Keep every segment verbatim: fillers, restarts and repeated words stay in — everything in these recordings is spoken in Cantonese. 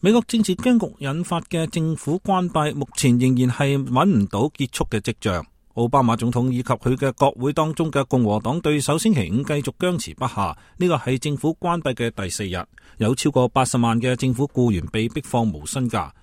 美國政治僵局引發嘅政府關閉，目前仍然係揾唔到結束嘅跡象。奧巴馬總統以及佢嘅國會當中嘅共和黨對手星期五繼續僵持不下，呢個係政府關閉嘅第四日，有超過八十萬嘅政府僱員被逼放無薪假。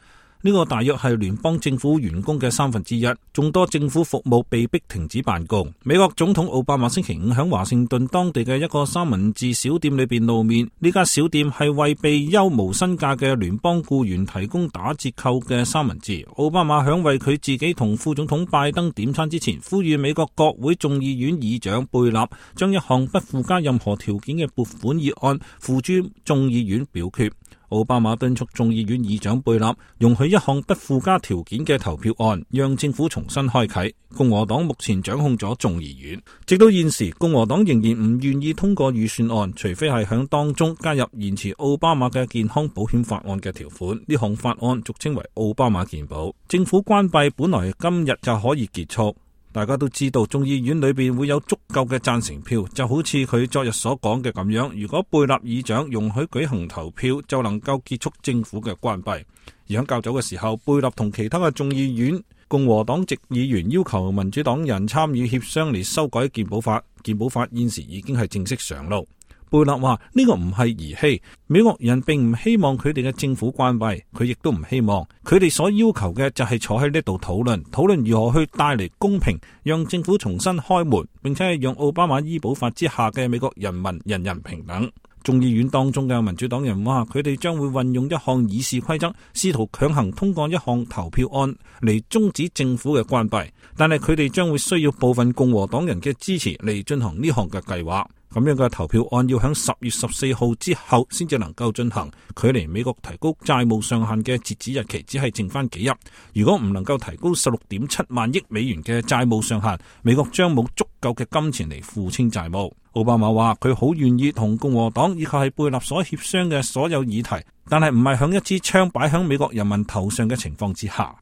呢個大約係聯邦政府員工嘅三分之一，眾多政府服務被迫停止辦公。美國總統奧巴馬星期五喺華盛頓當地嘅一個三文治小店裏邊露面，呢家小店係為被休無薪假嘅聯邦僱員提供打折扣嘅三文治。奧巴馬響為佢自己同副總統拜登點餐之前，呼籲美國國會眾議院議長貝納將一項不附加任何條件嘅撥款議案付諸眾議院表決。奧巴馬敦促眾議院議長貝納容許一項不附加條件嘅投票案，讓政府重新開啟。共和黨目前掌控咗眾議院，直到現時，共和黨仍然唔願意通過預算案，除非係響當中加入延遲奧巴馬嘅健康保險法案嘅條款。呢項法案俗稱為奧巴馬健保。政府關閉本來今日就可以結束。大家都知道眾議院裏邊會有足夠嘅贊成票，就好似佢昨日所講嘅咁樣，如果貝納議長容許舉行投票，就能夠結束政府嘅關閉。而喺較早嘅時候，貝納同其他嘅眾議院共和黨籍議員要求民主黨人參與協商嚟修改健保法，健保法現時已經係正式上路。貝納話呢個唔係兒戲，美國人並唔希望佢哋嘅政府關閉，佢亦都唔希望。佢哋所要求嘅就係坐喺呢度討論，討論如何去帶嚟公平，讓政府重新開門，並且係讓奧巴馬醫保法之下嘅美國人民人人平等。眾議院當中嘅民主黨人話，佢哋將會運用一項議事規則，試圖強行通過一項投票案嚟終止政府嘅關閉，但係佢哋將會需要部分共和黨人嘅支持嚟進行呢項嘅計劃。咁樣嘅投票案要喺十月十四號之後先至能夠進行，距離美國提高債務上限嘅截止日期只係剩翻幾日。如果唔能夠提高十六點七萬億美元嘅債務上限，美國將冇足夠嘅金錢嚟付清債務。奧巴馬話佢好願意同共和黨以及係貝納所協商嘅所有議題，但係唔係響一支槍擺響美國人民頭上嘅情況之下。